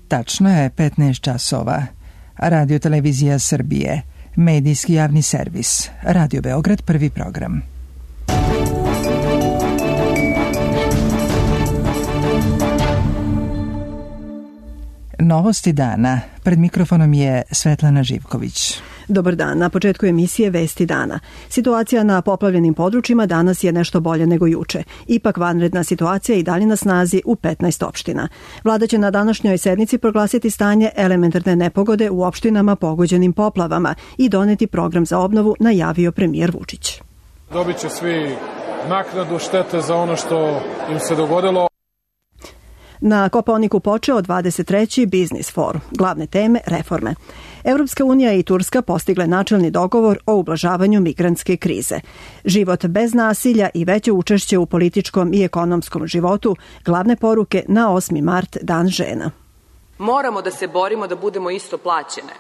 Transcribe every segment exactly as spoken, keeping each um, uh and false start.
Tačno je petnaest časova. Radio Televizija Srbije, medijski javni servis, Radio Beograd, prvi program. Novosti dana. Pred mikrofonom je Svetlana Živković. Dobar dan. Na početku emisije Vesti dana. Situacija na poplavljenim područjima danas je nešto bolje nego juče. Ipak vanredna situacija i dalje na snazi u petnaest opština. Vlada će na današnjoj sednici proglasiti stanje elementarne nepogode u opštinama pogođenim poplavama i doneti program za obnovu, najavio premijer Vučić. Dobit će svi naknadu štete za ono što im se dogodilo. Na Kopaoniku počeo dvadeset treći Biznis forum. Glavne teme reforme. Evropska unija i Turska postigle načelni dogovor o ublažavanju migrantske krize. Život bez nasilja i veće učešće u političkom i ekonomskom životu, glavne poruke na osmi mart, Dan žena. Moramo da se borimo da budemo isto plaćene.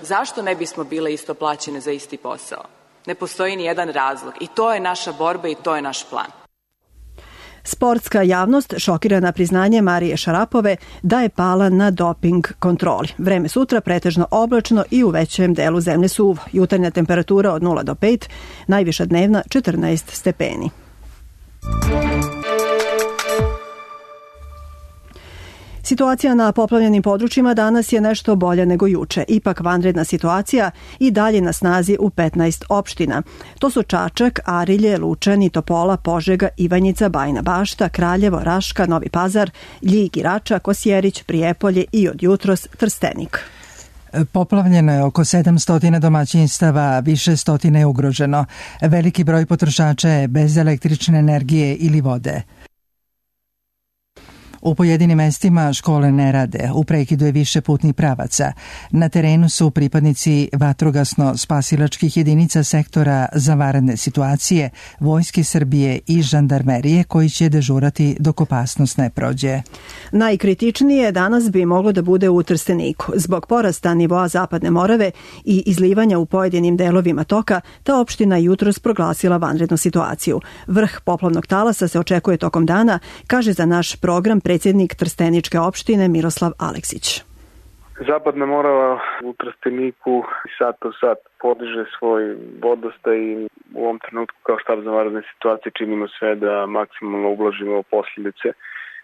Zašto ne bismo bile isto plaćene za isti posao? Ne postoji ni jedan razlog i to je naša borba i to je naš plan. Sportska javnost šokirana priznanje Marije Šarapove da je pala na doping kontroli. Vreme sutra pretežno oblačno i u većem delu zemlje suvo. Jutarnja temperatura od nula do pet, najviša dnevna četrnaest stepeni. Situacija na poplavljenim područjima danas je nešto bolja nego juče. Ipak vanredna situacija i dalje na snazi u petnaest opština. To su Čačak, Arilje, Lučani, Topola, Požega, Ivanjica, Bajina Bašta, Kraljevo, Raška, Novi Pazar, Ljig i Rača, Kosjerić, Prijepolje i od jutros Trstenik. Poplavljeno je oko sedamsto domaćinstava, više stotine je ugroženo. Veliki broj potrošača je bez električne energije ili vode. U pojedinim mestima škole ne rade, u prekidu je više putnih pravaca. Na terenu su pripadnici vatrogasno-spasilačkih jedinica sektora za vanredne situacije, Vojske Srbije i žandarmerije koji će dežurati dok opasnost ne prođe. Najkritičnije danas bi moglo da bude u Trsteniku. Zbog porasta nivoa Zapadne Morave i izlivanja u pojedinim delovima toka, ta opština jutros proglasila vanrednu situaciju. Vrh poplavnog talasa se očekuje tokom dana, kaže za naš program predsjednik Trsteničke opštine Miroslav Aleksić. Zapadna Morava u Trsteniku sat po sat podiže svoj vodostaj i u ovom trenutku kao štab za vanredne situacije činimo sve da maksimalno ublažimo posljedice.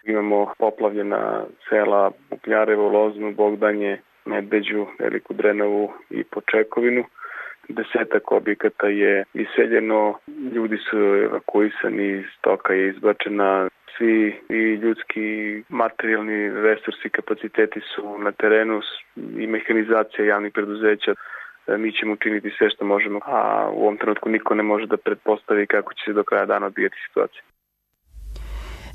Imamo poplavljena sela Bukljarevo, Loznu, Bogdanje, Medveđu, Veliku Drenovu i Počekovinu. Desetak objekata je iseljeno, ljudi su evakuisani, stoka je izbačena. Svi i ljudski materijalni resursi i kapaciteti su na terenu i mehanizacija javnih preduzeća. Mi ćemo učiniti sve što možemo, a u ovom trenutku niko ne može da pretpostavi kako će se do kraja dana odvijati situacija.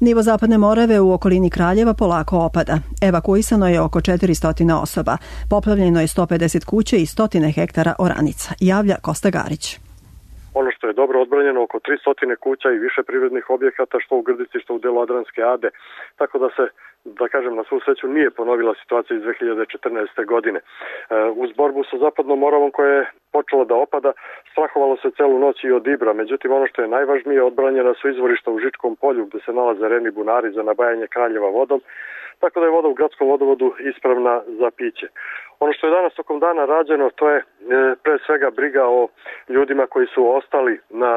Nivo Zapadne Morave u okolini Kraljeva polako opada. Evakuisano je oko četiristo osoba. Poplavljeno je sto pedeset kuća i stotine hektara oranica, javlja Kosta Garić. Ono što je dobro odbranjeno, oko tristo kuća i više privrednih objekata, što u Grdici, što u delu Adranske Ade, tako da se, da kažem, na svu sreću nije ponovila situacija iz dve hiljade četrnaeste. godine. Uz borbu sa Zapadnom Moravom koja je počela da opada, strahovalo se celu noć i od Ibra, međutim ono što je najvažnije, odbranjena su izvorišta u Žičkom polju gde se nalaze reni bunari za nabajanje Kraljeva vodom, tako da je voda u gradskom vodovodu ispravna za piće. Ono što je danas tokom dana rađeno, to je e, pre svega briga o ljudima koji su ostali na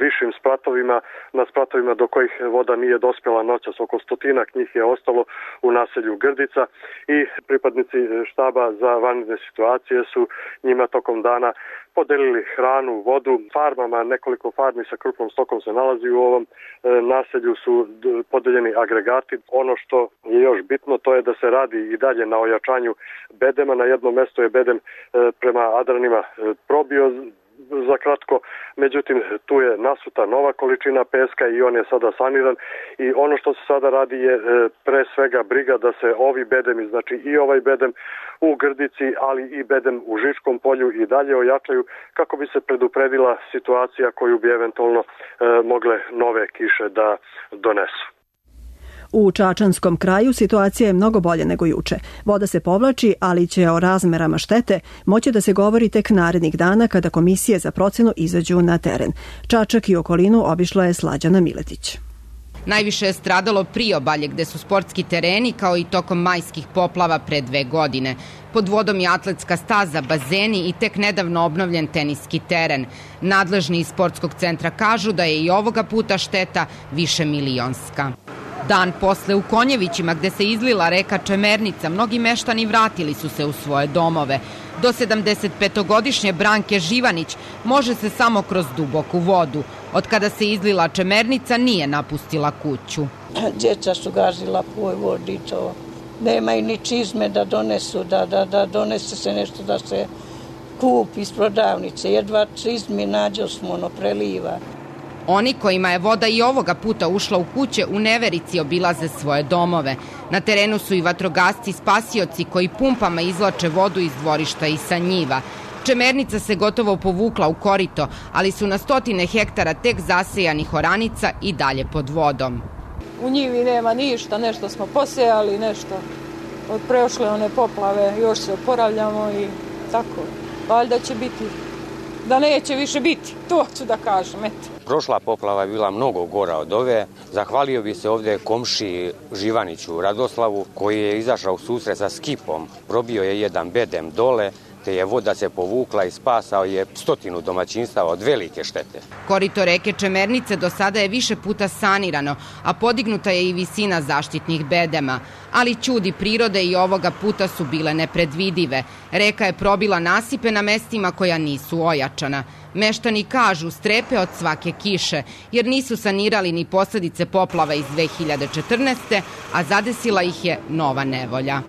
višim spratovima, na spratovima do kojih voda nije dospjela noćas. Oko stotinak njih je ostalo u naselju Grdica i pripadnici štaba za vanredne situacije su njima tokom dana podelili hranu, vodu, farmama, nekoliko farmi sa krupnom stokom se nalazi u ovom e, naselju, su podeljeni agregati. Ono što je još bitno, to je da se radi i dalje na ojačanju bedema. Na jednom mjestu je bedem e, prema Adranima e, probio za kratko, međutim tu je nasuta nova količina peska i on je sada saniran i ono što se sada radi je e, pre svega briga da se ovi bedemi, znači i ovaj bedem u Grdici, ali i bedem u Žičkom polju i dalje ojačaju kako bi se predupredila situacija koju bi eventualno e, mogle nove kiše da donesu. U Čačanskom kraju situacija je mnogo bolje nego juče. Voda se povlači, ali će o razmerama štete moći da se govori tek narednih dana kada komisije za procenu izađu na teren. Čačak i okolinu obišla je Slađana Miletić. Najviše je stradalo priobalje gde su sportski tereni kao i tokom majskih poplava pre dve godine. Pod vodom je atletska staza, bazeni i tek nedavno obnovljen teniski teren. Nadležni iz sportskog centra kažu da je i ovoga puta šteta više milionska. Dan posle u Konjevićima gde se izlila reka Čemernica, mnogi meštani vratili su se u svoje domove. Do sedamdesetpetogodišnje Branke Živanić može se samo kroz duboku vodu. Od kada se izlila Čemernica nije napustila kuću. Djeca su gazila po vodi, to nemaju ni čizme da donesu, da, da, da donese se nešto da se kupi iz prodavnice. Jedva čizmi nađo smo, ono preliva. Oni kojima je voda i ovoga puta ušla u kuće u neverici obilaze svoje domove. Na terenu su i vatrogasci spasioci koji pumpama izvlače vodu iz dvorišta i sa njiva. Čemernica se gotovo povukla u korito, ali su na stotine hektara tek zasejanih oranica i dalje pod vodom. U njivi nema ništa, nešto smo posejali, nešto od prošle one poplave, još se oporavljamo i tako. Valjda će biti, da neće više biti, to ću da kažem, eto. Prošla poplava je bila mnogo gora od ove. Zahvalio bi se ovde komšiji Živaniću Radoslavu koji je izašao u susret sa skipom. Probio je jedan bedem dole, te je voda se povukla i spasao je stotinu domaćinstava od velike štete. Korito reke Čemernice do sada je više puta sanirano, a podignuta je i visina zaštitnih bedema. Ali ćudi prirode i ovoga puta su bile nepredvidive. Reka je probila nasipe na mestima koja nisu ojačana. Meštani kažu strepe od svake kiše, jer nisu sanirali ni posledice poplava iz dve hiljade četrnaeste. a zadesila ih je nova nevolja.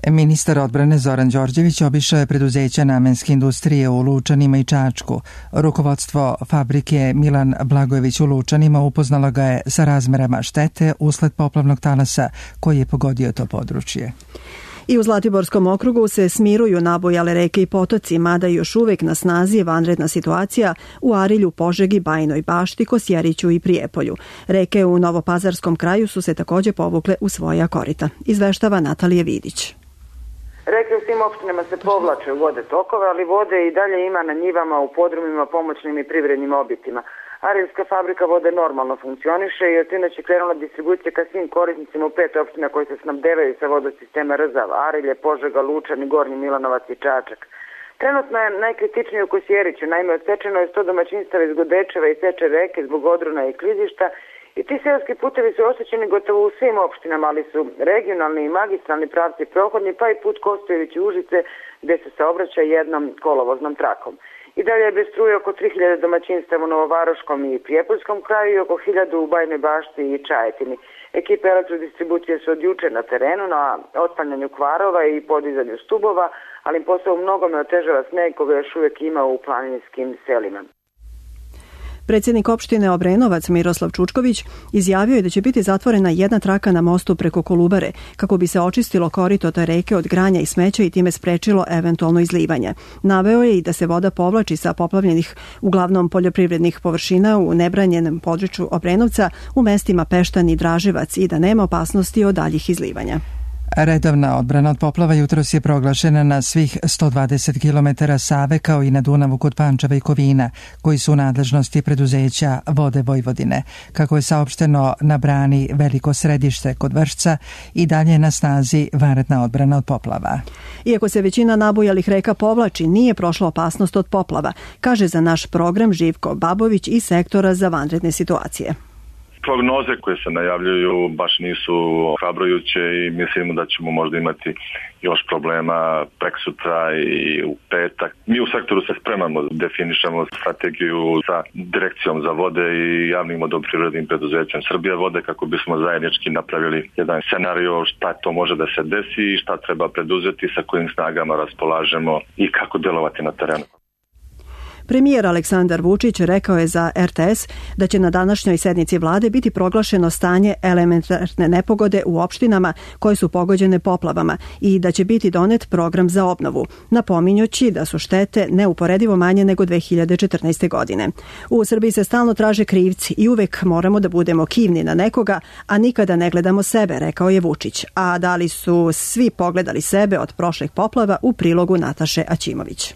Ministar odbrane Zoran Đorđević obišao je preduzeća namenske industrije u Lučanima i Čačku. Rukovodstvo fabrike Milan Blagojević u Lučanima upoznalo ga je sa razmerama štete usled poplavnog talasa koji je pogodio to područje. I u Zlatiborskom okrugu se smiruju nabujale reke i potoci, mada još uvek na snazi je vanredna situacija u Arilju, Požegi, Bajinoj Bašti, Kosjeriću i Prijepolju. Reke u Novopazarskom kraju su se takođe povukle u svoja korita. Izveštava Natalija Vidić. Reke u svim opštinama se povlače u vode tokove, ali vode i dalje ima na njivama, u podrumima, pomoćnim i privrednim objektima. Arilska fabrika vode normalno funkcioniše i od sinoć je krenula distribucija ka svim korisnicima u pet opština koji se snabdevaju sa vodosistema Rzav, Arilje, Požega, Lučani, Gornji Milanovac i Čačak. Trenutno je najkritičnije u Kosjeriću, naime odsečeno je sto domaćinstava iz Godečeva i Seče reke zbog odrona i klizišta. I ti seoski putevi su oštećeni gotovo u svim opštinama, ali su regionalni i magistralni pravci prohodni, pa i put Kostojević-Užice gde se saobraća jednom kolovoznom trakom. I dalje je bez struje oko tri hiljade domaćinstava u Novovaroškom i Prijepoljskom kraju i oko hiljadu u Bajnoj Bašti i Čajetini. Ekipe elektrodistribucije su od juče na terenu na otklanjanju kvarova i podizanju stubova, ali im posao mnogome otežava sneg koga još uvijek ima u planinskim selima. Predsjednik opštine Obrenovac Miroslav Čučković izjavio je da će biti zatvorena jedna traka na mostu preko Kolubare kako bi se očistilo korito te reke od granja i smeća i time sprečilo eventualno izlivanje. Naveo je i da se voda povlači sa poplavljenih uglavnom poljoprivrednih površina u nebranjenom području Obrenovca u mestima Peštan i Draževac i da nema opasnosti od daljih izlivanja. Redovna odbrana od poplava jutros je proglašena na svih sto dvadeset kilometara Save kao i na Dunavu kod Pančeva i Kovina, koji su u nadležnosti preduzeća Vode Vojvodine. Kako je saopšteno na brani Veliko Središte kod Vršca i dalje na snazi vanredna odbrana od poplava. Iako se većina nabujalih reka povlači, nije prošla opasnost od poplava, kaže za naš program Živko Babović iz sektora za vanredne situacije. Prognoze koje se najavljuju baš nisu ohrabrujuće i mislimo da ćemo možda imati još problema preksutra i u petak. Mi u sektoru se spremamo, definišemo strategiju sa direkcijom za vode i javnim vodoprivrednim preduzećem Srbija vode kako bismo zajednički napravili jedan scenario šta to može da se desi i šta treba preduzeti, sa kojim snagama raspolažemo i kako delovati na terenu. Premijer Aleksandar Vučić rekao je za er te es da će na današnjoj sednici vlade biti proglašeno stanje elementarne nepogode u opštinama koje su pogođene poplavama i da će biti donet program za obnovu, napominjući da su štete neuporedivo manje nego dve hiljade četrnaeste. godine. U Srbiji se stalno traže krivci i uvek moramo da budemo kivni na nekoga, a nikada ne gledamo sebe, rekao je Vučić. A da li su svi pogledali sebe od prošlih poplava u prilogu Nataše Aćimović.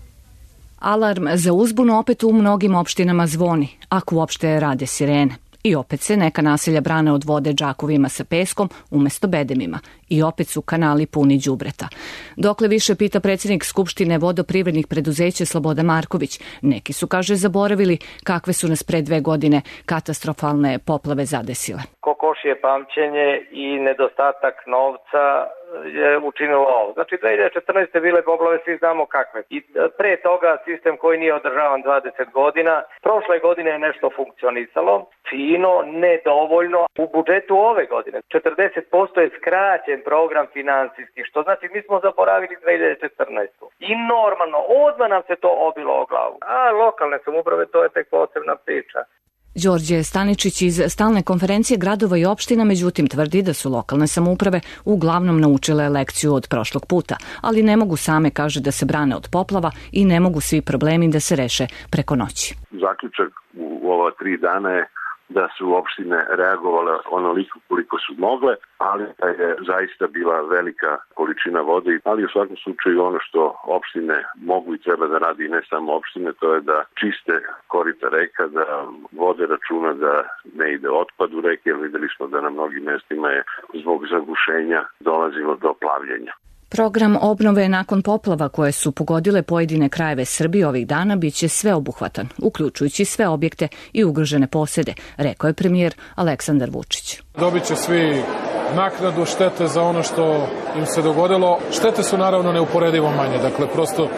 Alarm za uzbunu opet u mnogim opštinama zvoni, ako uopšte rade sirene. I opet se neka naselja brane od vode džakovima sa peskom umesto bedemima. I opet su kanali puni đubreta. Dokle više, pita predsjednik Skupštine vodoprivrednih preduzeća Slobodan Marković. Neki su, kaže, zaboravili kakve su nas pre dve godine katastrofalne poplave zadesile. Kokošije pamćenje i nedostatak novca je učinilo ovo. Znači, dve hiljade četrnaeste. bile poplave, svi znamo kakve. I pre toga sistem koji nije održavan dvadeset godina, prošle godine je nešto funkcionisalo, fino, nedovoljno. U budžetu ove godine četrdeset posto je skraćen program finansijski, što znači mi smo zaboravili dve hiljade četrnaestu. I normalno, odmah nam se to obilo o glavu. A lokalne samouprave, to je tek posebna priča. Đorđe Staničić iz Stalne konferencije gradova i opština međutim tvrdi da su lokalne samouprave uglavnom naučile lekciju od prošlog puta, ali ne mogu same, kaže, da se brane od poplava i ne mogu svi problemi da se reše preko noći. Zaključak u ova tri dana je da su opštine reagovale onoliko koliko su mogle, ali da je zaista bila velika količina vode, ali u svakom slučaju ono što opštine mogu i treba da radi, i ne samo opštine, to je da čiste korita reka, da vode računa da ne ide otpad u reke, jer videli smo da na mnogim mestima je zbog zagušenja dolazilo do plavljenja. Program obnove nakon poplava koje su pogodile pojedine krajeve Srbije ovih dana biće sveobuhvatan, uključujući sve objekte i ugrožene posede, rekao je premijer Aleksandar Vučić. Dobit će svi naknadu štete za ono što im se dogodilo. Štete su naravno neuporedivo manje, dakle prosto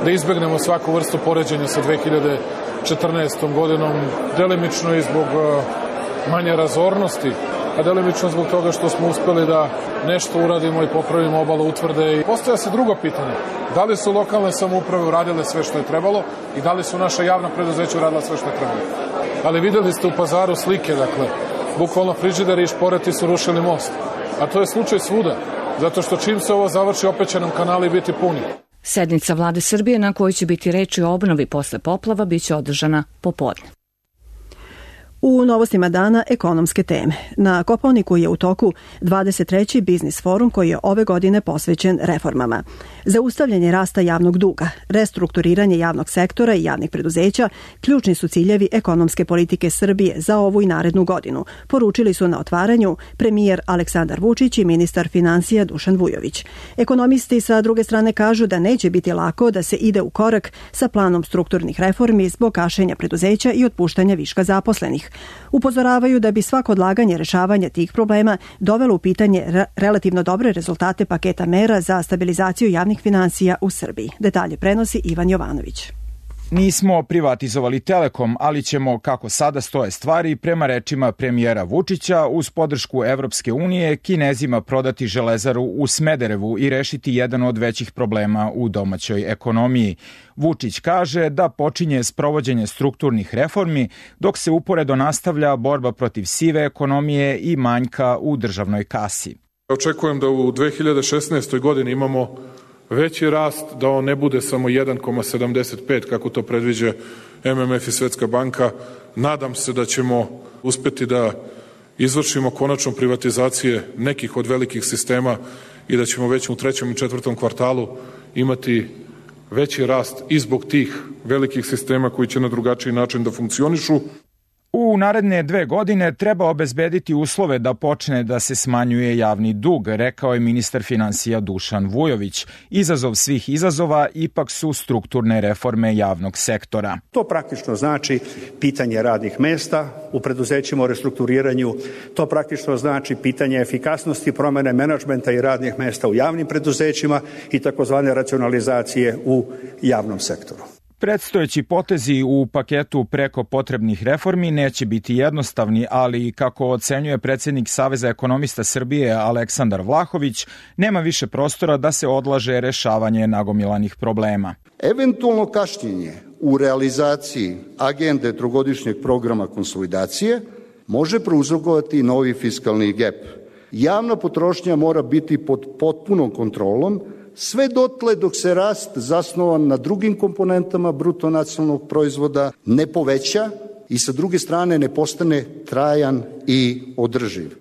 da izbegnemo svaku vrstu poređenja sa dve hiljade četrnaestom. godinom, delimično i zbog manje razornosti, a delimično zbog toga što smo uspeli da nešto uradimo i popravimo obalu utvrde. I postoja se drugo pitanje, da li su lokalne samouprave uradile sve što je trebalo i da li su naša javna preduzeća uradila sve što je trebalo. Ali videli ste u Pazaru slike, dakle, bukvalno frižideri i šporeti su rušili most. A to je slučaj svuda, zato što čim se ovo završi, opet će nam kanali biti puni. Sednica Vlade Srbije na kojoj će biti reči o obnovi posle poplava biće održana popodne. U novostima dana ekonomske teme. Na Kopaoniku je u toku dvadeset treći biznis forum koji je ove godine posvećen reformama. Zaustavljanje rasta javnog duga, restrukturiranje javnog sektora i javnih preduzeća ključni su ciljevi ekonomske politike Srbije za ovu i narednu godinu, poručili su na otvaranju premijer Aleksandar Vučić i ministar finansija Dušan Vujović. Ekonomisti sa druge strane kažu da neće biti lako da se ide u korak sa planom strukturnih reformi zbog gašenja preduzeća i otpuštanja viška zaposlenih. Upozoravaju da bi svako odlaganje rešavanja tih problema dovelo u pitanje re- relativno dobre rezultate paketa mera za stabilizaciju javnih finansija u Srbiji. Detalje prenosi Ivan Jovanović. Nismo privatizovali Telekom, ali ćemo, kako sada stoje stvari, prema rečima premijera Vučića, uz podršku Evropske unije, Kinezima prodati železaru u Smederevu i rešiti jedan od većih problema u domaćoj ekonomiji. Vučić kaže da počinje sprovođenje strukturnih reformi, dok se uporedo nastavlja borba protiv sive ekonomije i manjka u državnoj kasi. Očekujem da u dve hiljade šesnaestoj. godini imamo veći rast, da on ne bude samo jedan zarez sedamdeset pet kako to predviđa M M F i Svetska banka. Nadam se da ćemo uspeti da izvršimo konačno privatizacije nekih od velikih sistema i da ćemo već u trećem i četvrtom kvartalu imati veći rast i zbog tih velikih sistema koji će na drugačiji način da funkcionišu. U naredne dve godine treba obezbediti uslove da počne da se smanjuje javni dug, rekao je ministar finansija Dušan Vujović. Izazov svih izazova ipak su strukturne reforme javnog sektora. To praktično znači pitanje radnih mesta u preduzećima o restrukturiranju, to praktično znači pitanje efikasnosti promene menadžmenta i radnih mesta u javnim preduzećima i takozvane racionalizacije u javnom sektoru. Predstojeći potezi u paketu preko potrebnih reformi neće biti jednostavni, ali kako ocenjuje predsjednik Saveza ekonomista Srbije Aleksandar Vlahović, nema više prostora da se odlaže rešavanje nagomilanih problema. Eventualno kašnjenje u realizaciji agende trogodišnjeg programa konsolidacije može prouzrokovati novi fiskalni gep. Javna potrošnja mora biti pod potpunom kontrolom, sve dotle dok se rast zasnovan na drugim komponentama bruto nacionalnog proizvoda ne poveća i sa druge strane ne postane trajan i održiv.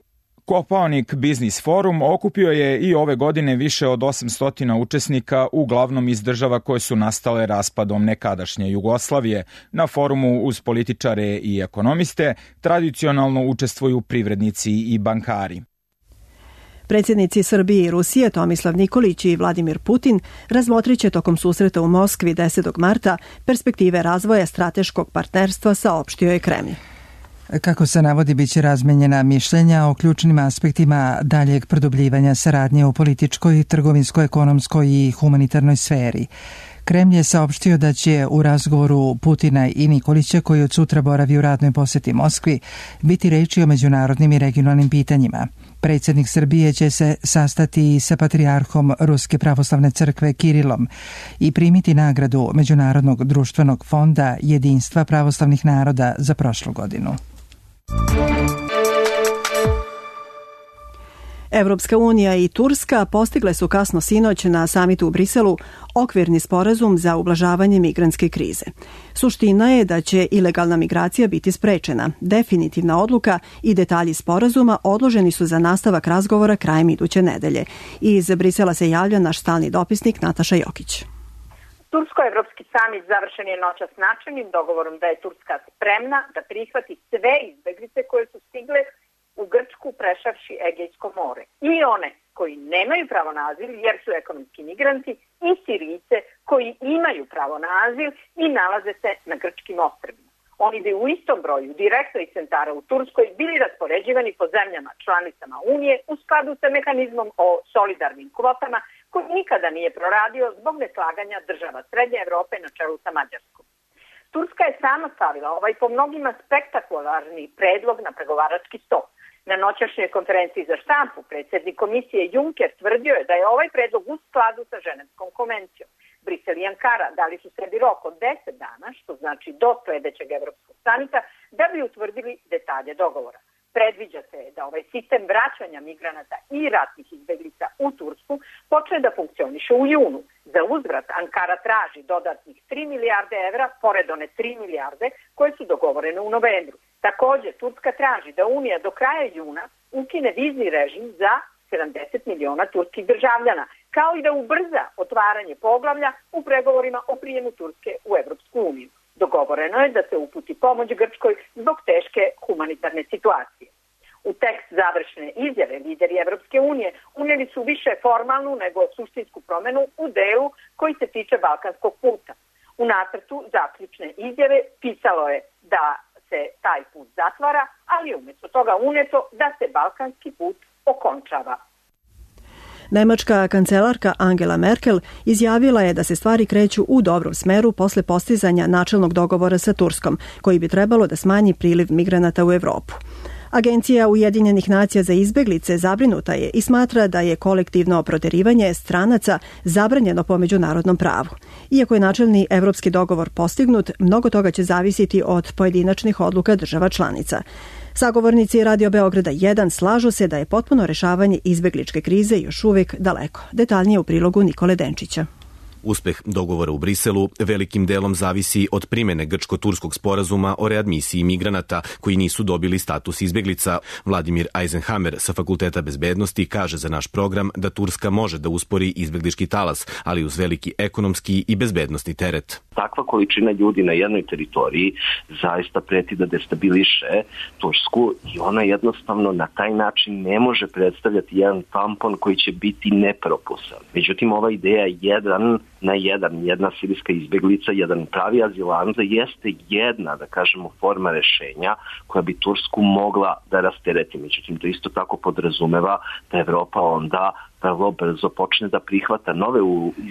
Kopaonik Biznis forum okupio je i ove godine više od osamsto učesnika, uglavnom iz država koje su nastale raspadom nekadašnje Jugoslavije. Na forumu uz političare i ekonomiste tradicionalno učestvuju privrednici i bankari. Predsjednici Srbije i Rusije Tomislav Nikolić i Vladimir Putin razmotrit će tokom susreta u Moskvi desetog marta perspektive razvoja strateškog partnerstva, saopštio je Kremlj. Kako se navodi, biće razmenjena mišljenja o ključnim aspektima daljeg produbljivanja saradnje u političkoj, trgovinskoj, ekonomskoj i humanitarnoj sferi. Kremlj je saopštio da će u razgovoru Putina i Nikolića, koji od sutra boravi u radnoj poseti Moskvi, biti reči o međunarodnim i regionalnim pitanjima. Predsjednik Srbije će se sastati i sa patrijarhom Ruske pravoslavne crkve Kirilom i primiti nagradu Međunarodnog društvenog fonda jedinstva pravoslavnih naroda za prošlu godinu. Evropska unija i Turska postigle su kasno sinoć na samitu u Briselu okvirni sporazum za ublažavanje migrantske krize. Suština je da će ilegalna migracija biti sprečena. Definitivna odluka i detalji sporazuma odloženi su za nastavak razgovora krajem iduće nedelje. Iz Brisela se javlja naš stalni dopisnik Nataša Jokić. Tursko-evropski samit završen je noćas načelnim dogovorom da je Turska spremna da prihvati sve izbeglice koje su stigle u Grčku prešavši Egejsko more. I one koji nemaju pravo na azil jer su ekonomski migranti i Sirijce koji imaju pravo na azil i nalaze se na grčkim ostrvima. Oni bi u istom broju direktno iz centara u Turskoj bili raspoređivani po zemljama članicama Unije u skladu sa mehanizmom o solidarnim kvotama koji nikada nije proradio zbog neslaganja država Srednje Evrope na čelu sa Mađarskom. Turska je sama stavila ovaj po mnogima spektakularni predlog na pregovarački sto. Na noćašnjoj konferenciji za štampu predsjednik komisije Juncker tvrdio je da je ovaj predlog u skladu sa Ženevskom konvencijom. Brisel i Ankara dali su sebi rok od deset dana, što znači do sljedećeg evropskog samita, da bi utvrdili detalje dogovora. Predviđa se da ovaj sistem vraćanja migranata i ratnih izbeglica u Tursku počne da funkcioniše u junu. Za uzvrat Ankara traži dodatnih tri milijarde evra, pored one tri milijarde koje su dogovorene u novembru. Također, Turska traži da Unija do kraja juna ukine vizni režim za sedamdeset miliona turskih državljana, kao i da ubrza otvaranje poglavlja u pregovorima o prijemu Turske u Evropsku uniju. Dogovoreno je da se uputi pomoć Grčkoj zbog teške humanitarne situacije. U tekst završne izjave lideri Evropske unije unijeli su više formalnu nego suštinsku promjenu u delu koji se tiče balkanskog puta. U nacrtu zaključne izjave pisalo je da se taj put zatvara, ali umjesto toga unijeto da se balkanski put okončava. Nemačka kancelarka Angela Merkel izjavila je da se stvari kreću u dobrom smeru posle postizanja načelnog dogovora sa Turskom, koji bi trebalo da smanji priliv migranata u Evropu. Agencija Ujedinjenih nacija za izbeglice zabrinuta je i smatra da je kolektivno proterivanje stranaca zabranjeno po međunarodnom pravu. Iako je načelni evropski dogovor postignut, mnogo toga će zavisiti od pojedinačnih odluka država članica. Sagovornici Radio Beograda jedan slažu se da je potpuno rešavanje izbegličke krize još uvijek daleko. Detaljnije u prilogu Nikole Denčića. Uspeh dogovora u Briselu velikim delom zavisi od primene grčko-turskog sporazuma o readmisiji migranata koji nisu dobili status izbeglica. Vladimir Eisenhammer sa Fakulteta bezbednosti kaže za naš program da Turska može da uspori izbeglički talas, ali uz veliki ekonomski i bezbednosni teret. Takva količina ljudi na jednoj teritoriji zaista preti da destabiliše Tursku i ona jednostavno na taj način ne može predstavljati jedan tampon koji će biti nepropusan. Međutim, ova ideja je jedan na jedan, jedna sirijska izbeglica, jedan pravi azilant, jeste jedna, da kažemo, forma rešenja koja bi Tursku mogla da rastereti. Međutim, to isto tako podrazumeva da Evropa onda vrlo brzo počne da prihvata nove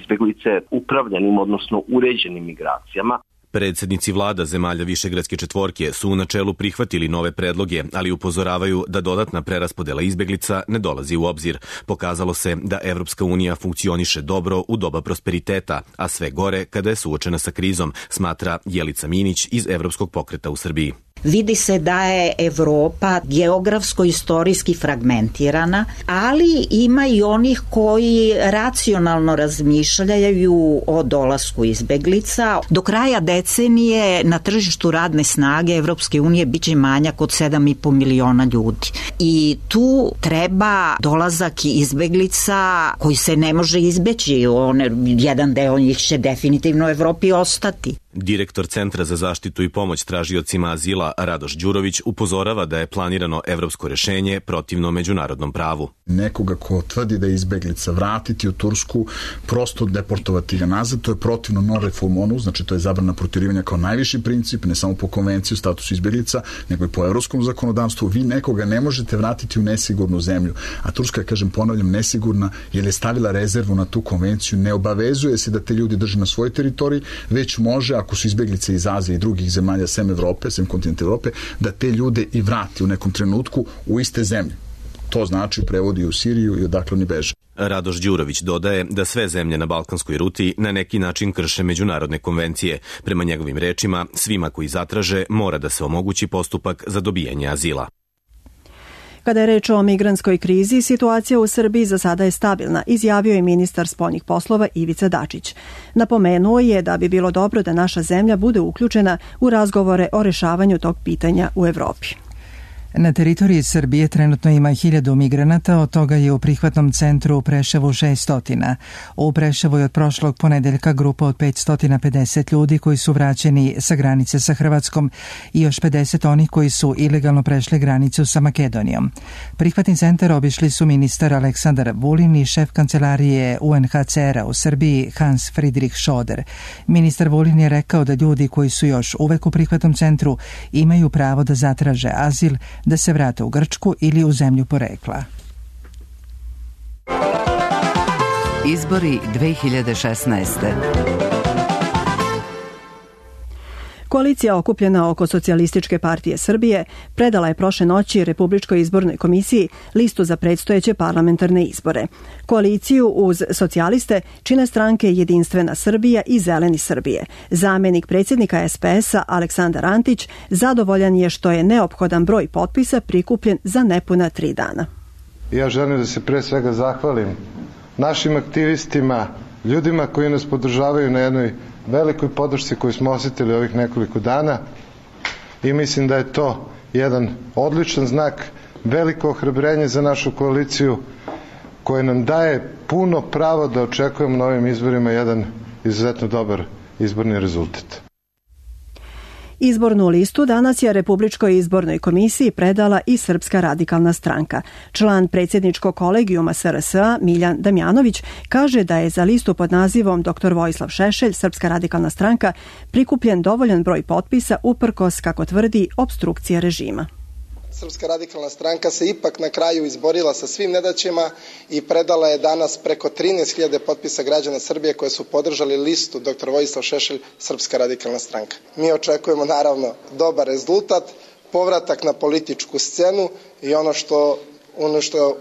izbeglice upravljanim, odnosno uređenim migracijama. Predsjednici vlada zemalja Višegradske četvorke su u načelu prihvatili nove predloge, ali upozoravaju da dodatna preraspodela izbeglica ne dolazi u obzir. Pokazalo se da Evropska unija funkcioniše dobro u doba prosperiteta, a sve gore kada je suočena sa krizom, smatra Jelica Minić iz Evropskog pokreta u Srbiji. Vidi se da je Evropa geografsko-istorijski fragmentirana, ali ima i onih koji racionalno razmišljaju o dolasku izbeglica. Do kraja decenije na tržištu radne snage Evropske unije biće manjak od sedam i po miliona ljudi. I tu treba dolazak izbeglica koji se ne može izbeći. On, jedan deo njih će definitivno u Evropi ostati. Direktor Centra za zaštitu i pomoć tražiocima azila Radoš Đurović upozorava da je planirano evropsko rešenje protivno međunarodnom pravu. Nekoga ko tvrdi da je izbeglica vratiti u Tursku, prosto deportovati ga nazad, to je protivno non refoulement, znači to je zabrana protjerivanja kao najviši princip, ne samo po konvenciji o statusu izbeglica, nego i po evropskom zakonodavstvu. Vi nekoga ne možete vratiti u nesigurnu zemlju, a Turska je, kažem, ponavljam, nesigurna jer je stavila rezervu na tu konvenciju, ne obavezuje se da te ljudi drži na svojoj teritoriji, već može, ako su izbeglice iz Azije i drugih zemalja sem Evrope, sem kontinenta Evrope, da te ljude i vrati u nekom trenutku u iste zemlje. To znači prevodi u Siriju i odakle oni beže. Radoš Đurović dodaje da sve zemlje na balkanskoj ruti na neki način krše međunarodne konvencije. Prema njegovim rečima, svima koji zatraže mora da se omogući postupak za dobijanje azila. Kada je reč o migrantskoj krizi, situacija u Srbiji za sada je stabilna, izjavio je ministar spoljnih poslova Ivica Dačić. Napomenuo je da bi bilo dobro da naša zemlja bude uključena u razgovore o rešavanju tog pitanja u Evropi. Na teritoriji Srbije trenutno ima hiljadu migranata, od toga je u prihvatnom centru u Preševu šestotina. U Preševu je od prošlog ponedeljka grupa od petsto pedeset ljudi koji su vraćeni sa granice sa Hrvatskom i još pedeset onih koji su ilegalno prešli granicu sa Makedonijom. Prihvatni centar obišli su ministar Aleksandar Vulin i šef kancelarije U N H C R-a u Srbiji Hans Friedrich Schoder. Ministar Vulin je rekao da ljudi koji su još uvek u prihvatnom centru imaju pravo da zatraže azil, da se vrate u Grčku ili u zemlju porekla. Izbori dve hiljade šesnaeste. Koalicija okupljena oko Socijalističke partije Srbije predala je prošle noći Republičkoj izbornoj komisiji listu za predstojeće parlamentarne izbore. Koaliciju uz socijaliste čine stranke Jedinstvena Srbija i Zeleni Srbije. Zamenik predsjednika S P S-a Aleksandar Antić zadovoljan je što je neophodan broj potpisa prikupljen za nepuna tri dana. Ja želim da se pre svega zahvalim našim aktivistima, ljudima koji nas podržavaju na jednoj velikoj podršci koju smo osjetili ovih nekoliko dana i mislim da je to jedan odličan znak, veliko ohrabrenje za našu koaliciju koje nam daje puno pravo da očekujemo na ovim izborima jedan izuzetno dobar izborni rezultat. Izbornu listu danas je Republičkoj izbornoj komisiji predala i Srpska radikalna stranka. Član predsjedničkog kolegijuma S R S-a Miljan Damjanović kaže da je za listu pod nazivom doktor Vojislav Šešelj, Srpska radikalna stranka, prikupljen dovoljan broj potpisa uprkos, kako tvrdi, opstrukcije režima. Srpska radikalna stranka se ipak na kraju izborila sa svim nedaćima i predala je danas preko trinaest hiljada potpisa građana Srbije koje su podržali listu doktor Vojislav Šešelj, Srpska radikalna stranka. Mi očekujemo naravno dobar rezultat, povratak na političku scenu i ono što ono što,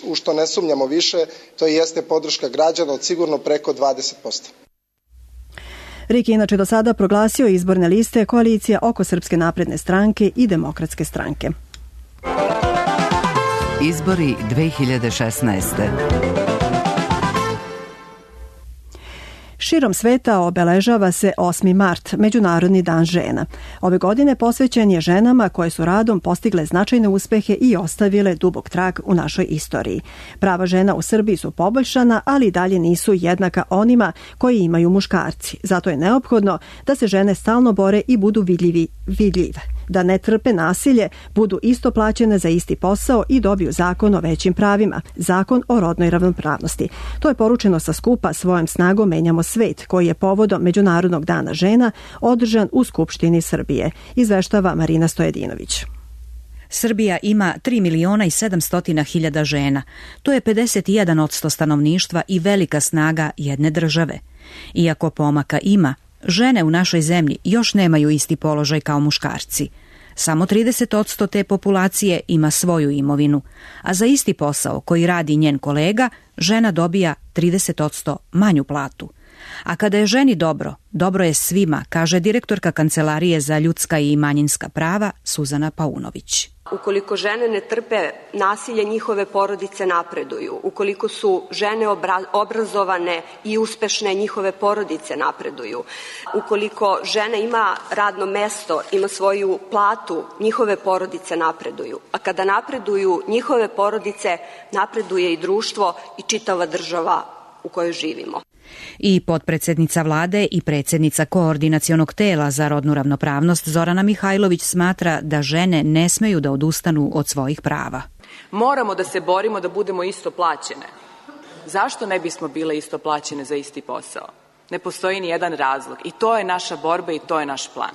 u što ne sumnjamo više, to jeste podrška građana od sigurno preko dvadeset posto. R I K inače do sada proglasio izborne liste koalicija oko Srpske napredne stranke i Demokratske stranke. Izbori dve hiljade šesnaeste. Širom sveta obeležava se osmi mart, Međunarodni dan žena. Ove godine posvećen je ženama koje su radom postigle značajne uspehe i ostavile dubok trag u našoj istoriji. Prava žena u Srbiji su poboljšana, ali dalje nisu jednaka onima koji imaju muškarci. Zato je neophodno da se žene stalno bore i budu vidljivi, vidljive. Da ne trpe nasilje, budu isto plaćene za isti posao i dobiju zakon o većim pravima, zakon o rodnoj ravnopravnosti. To je poručeno sa skupa Svojom snagom menjamo svet, koji je povodom Međunarodnog dana žena održan u Skupštini Srbije, izveštava Marina Stojedinović. Srbija ima tri miliona i sedamsto hiljada žena. To je pedeset jedan posto stanovništva i velika snaga jedne države. Iako pomaka ima, žene u našoj zemlji još nemaju isti položaj kao muškarci. Samo trideset posto te populacije ima svoju imovinu, a za isti posao koji radi njen kolega, žena dobija trideset posto manju platu. A kada je ženi dobro, dobro je svima, kaže direktorka Kancelarije za ljudska i manjinska prava Suzana Paunović. Ukoliko žene ne trpe nasilje, njihove porodice napreduju. Ukoliko su žene obra- obrazovane i uspešne, njihove porodice napreduju. Ukoliko žena ima radno mesto, ima svoju platu, njihove porodice napreduju. A kada napreduju njihove porodice, napreduje i društvo i čitava država u kojoj živimo. I potpredsednica vlade i predsjednica koordinacionog tela za rodnu ravnopravnost Zorana Mihajlović smatra da žene ne smeju da odustanu od svojih prava. Moramo da se borimo da budemo isto plaćene. Zašto ne bismo bile isto plaćene za isti posao? Ne postoji ni jedan razlog i to je naša borba i to je naš plan.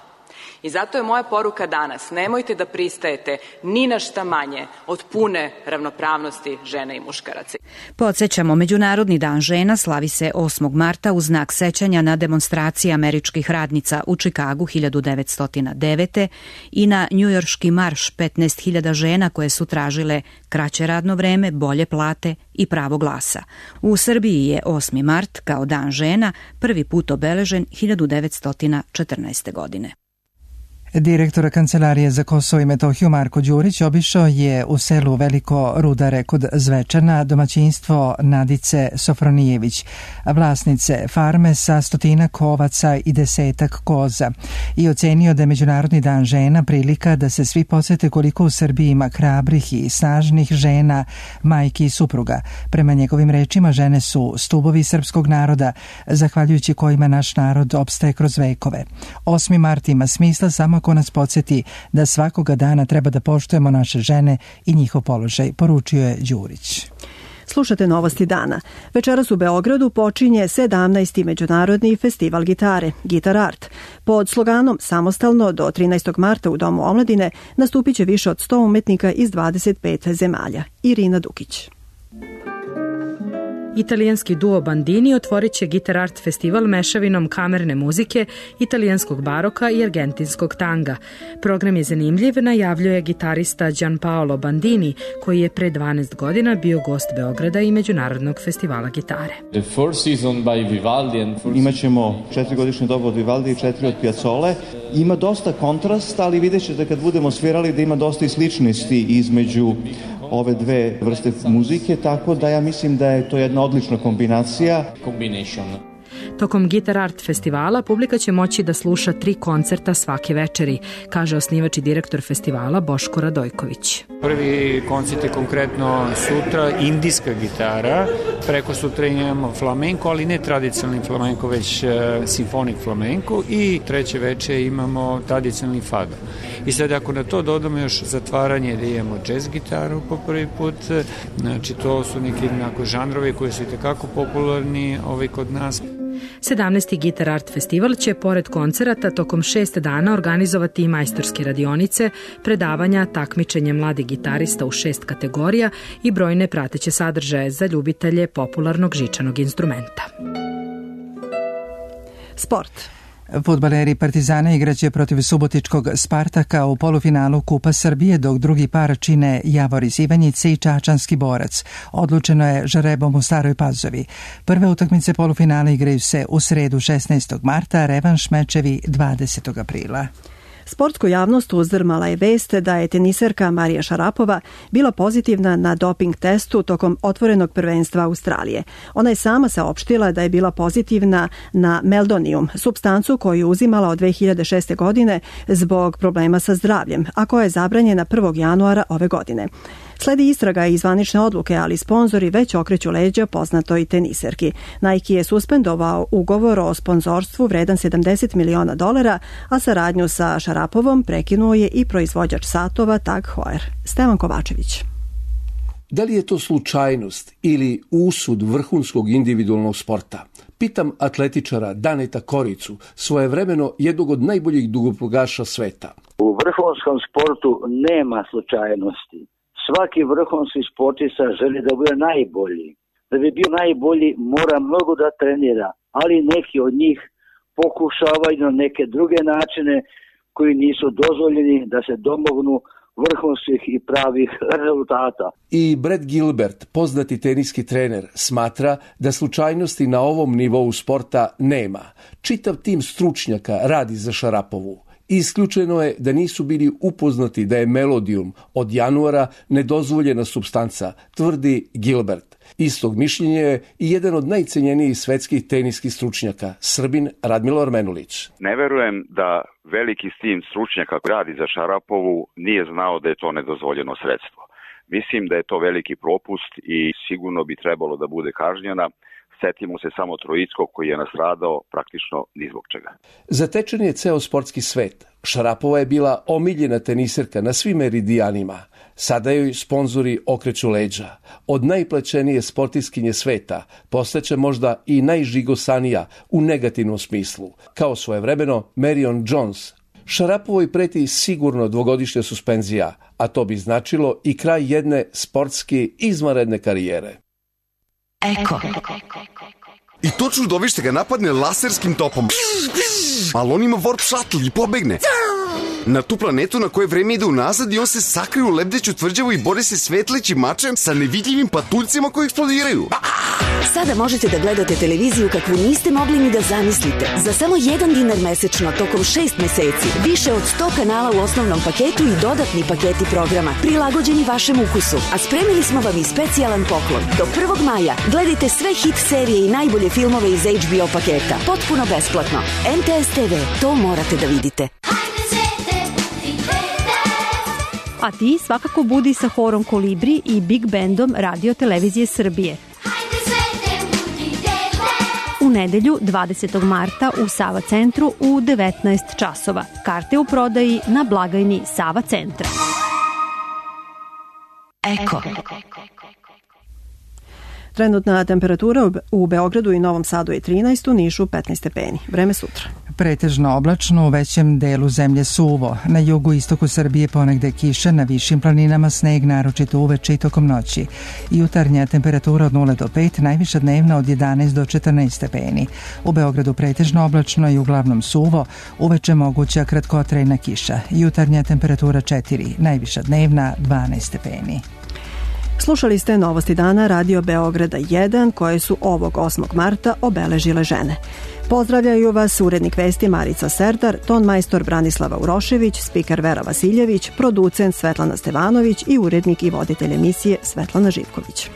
I zato je moja poruka danas, nemojte da pristajete ni na šta manje od pune ravnopravnosti žena i muškaraca. Podsjećamo, Međunarodni dan žena slavi se osmog marta u znak sećanja na demonstracije američkih radnica u Čikagu hiljadu devetsto devete. i na njujorški marš petnaest hiljada žena koje su tražile kraće radno vreme, bolje plate i pravo glasa. U Srbiji je osmi mart kao dan žena prvi put obeležen hiljadu devetsto četrnaeste. godine. Direktor Kancelarije za Kosovo i Metohiju Marko Đurić obišao je u selu Veliko Rudare kod Zvečana domaćinstvo Nadice Sofronijević, vlasnice farme sa stotinak ovaca i desetak koza, i ocenio da je Međunarodni dan žena prilika da se svi podsjete koliko u Srbiji ima hrabrih i snažnih žena, majki i supruga. Prema njegovim rečima, žene su stubovi srpskog naroda, zahvaljujući kojima naš narod opstaje kroz vekove. osmi mart ima smisla samo ako nas podsjeti da svakoga dana treba da poštujemo naše žene i njihov položaj, poručio je Đurić. Slušate novosti dana. Večeras u Beogradu počinje sedamnaesti Međunarodni festival gitare, Gitar Art. Pod sloganom Samostalno do trinaestog marta u Domu omladine nastupit će više od sto umetnika iz dvadeset pet zemalja. Irina Dukić. Italijanski duo Bandini otvorit će Gitar Art festival mešavinom kamerne muzike, italijanskog baroka i argentinskog tanga. Program je zanimljiv, najavljuje gitarista Gianpaolo Bandini, koji je pre dvanaest godina bio gost Beograda i Međunarodnog festivala gitare. Imaćemo četiri doba od Vivaldi i četiri od Piazzole. Ima dosta kontrast, ali vidjet ćete kad budemo svirali da ima dosta i sličnosti između ove dve vrste muzike, tako da ja mislim da je to jedna odlična kombinacija. Tokom Gitar Art festivala publika će moći da sluša tri koncerta svake večeri, kaže osnivač i direktor festivala Boško Radojković. Prvi koncert je konkretno sutra indijska gitara, preko sutra imamo flamenko, ali ne tradicionalni flamenko, već uh, simfonik flamenko, i treće veče imamo tradicionalni fado. I sad ako na to dodamo još zatvaranje da imamo jazz gitaru po prvi put, znači to su neki onako žanrovi koji su i tekako popularni ovaj kod nas. sedamnaesti Gitar Art festival će pored koncerata tokom šest dana organizovati i majstorske radionice, predavanja, takmičenje mladih gitarista u šest kategorija i brojne prateće sadržaje za ljubitelje popularnog žičanog instrumenta. Sport. Fudbaleri Partizana igraće protiv subotičkog Spartaka u polufinalu Kupa Srbije, dok drugi par čine Javor iz Ivanjice i Čačanski Borac. Odlučeno je žrebom u Staroj Pazovi. Prve utakmice polufinala igraju se u sredu šesnaestog marta, revanš mečevi dvadesetog aprila. Sportsku javnost uzdrmala je vest da je teniserka Marija Šarapova bila pozitivna na doping testu tokom otvorenog prvenstva Australije. Ona je sama saopštila da je bila pozitivna na meldonium, supstancu koju je uzimala od dve hiljade šeste. godine zbog problema sa zdravljem, a koja je zabranjena prvog januara ove godine. Sledi istraga i zvanične odluke, ali sponzori već okreću leđa poznatoj teniserki. Nike je suspendovao ugovor o sponzorstvu vredan sedamdeset miliona dolara, a saradnju sa Šarapovom prekinuo je i proizvođač satova Tag Heuer. Stevan Kovačević. Da li je to slučajnost ili usud vrhunskog individualnog sporta? Pitam atletičara Daneta Koricu, svojevremeno jednog od najboljih dugoprugaša sveta. U vrhunskom sportu nema slučajnosti. Svaki vrhunski sportista želi da bude najbolji. Da bi bio najbolji mora mnogo da trenira, ali neki od njih pokušavaju na neke druge načine koji nisu dozvoljeni da se domognu vrhunskih i pravih rezultata. I Brett Gilbert, poznati teniski trener, smatra da slučajnosti na ovom nivou sporta nema. Čitav tim stručnjaka radi za Šarapovu. Isključeno je da nisu bili upoznati da je melodijum od januara nedozvoljena supstanca, tvrdi Gilbert. Istog mišljenja je i jedan od najcenjenijih svetskih teniskih stručnjaka, Srbin Radmilor Menulić. Ne verujem da veliki tim stručnjaka koji radi za Šarapovu nije znao da je to nedozvoljeno sredstvo. Mislim da je to veliki propust i sigurno bi trebalo da bude kažnjena. Setimo se samo Troickog koji je nastradao praktično ni zbog čega. Zatečen je ceo sportski svet. Šarapova je bila omiljena teniserka na svim meridijanima. Sada joj sponzori okreću leđa. Od najplaćenije sportiskinje sveta postaće možda i najžigosanija u negativnom smislu, kao svojevremeno Marion Jones. Šarapovoj preti sigurno dvogodišnja suspenzija, a to bi značilo i kraj jedne sportski izvanredne karijere. Eko. I to čudovište ga napadne laserskim topom. Ali on ima warp shuttle i pobegne. Na tu planetu na koje vreme ide unazad i on se sakrije u lebdeću tvrđavu i bori se svetlećim mačem sa nevidljivim patuljcima koji eksplodiraju. Sada možete da gledate televiziju kakvu niste mogli ni da zamislite. Za samo jedan dinar mesečno tokom šest meseci. Više od sto kanala u osnovnom paketu i dodatni paketi programa prilagođeni vašem ukusu. A spremili smo vam i specijalan poklon. Do prvog maja gledajte sve hit serije i najbolje filmove iz H B O paketa. Potpuno besplatno. N T S T V, to morate da vidite. A ti svakako budi sa horom Kolibri i Big Bandom Radio Televizije Srbije. U nedelju dvadesetog marta u Sava centru u devetnaest časova. Karte u prodaji na blagajni Sava centra. Eko. Trenutna temperatura u Beogradu i Novom Sadu je trinaest, u Nišu petnaest stepeni. Vreme sutra. Pretežno oblačno, u većem delu zemlje suvo. Na jugu istoku Srbije ponegde kiša, na višim planinama sneg, naročito uveče i tokom noći. Jutarnja temperatura od nula do pet, najviša dnevna od jedanaest do četrnaest stepeni. U Beogradu pretežno oblačno i uglavnom suvo, uveče moguća kratkotrajna kiša. Jutarnja temperatura četiri, najviša dnevna dvanaest stepeni. Slušali ste Novosti dana Radio Beograda jedan koje su ovog osmog marta obeležile žene. Pozdravljaju vas urednik vesti Marica Serdar, ton majstor Branislava Urošević, spiker Vera Vasiljević, producent Svetlana Stevanović i urednik i voditelj emisije Svetlana Živković.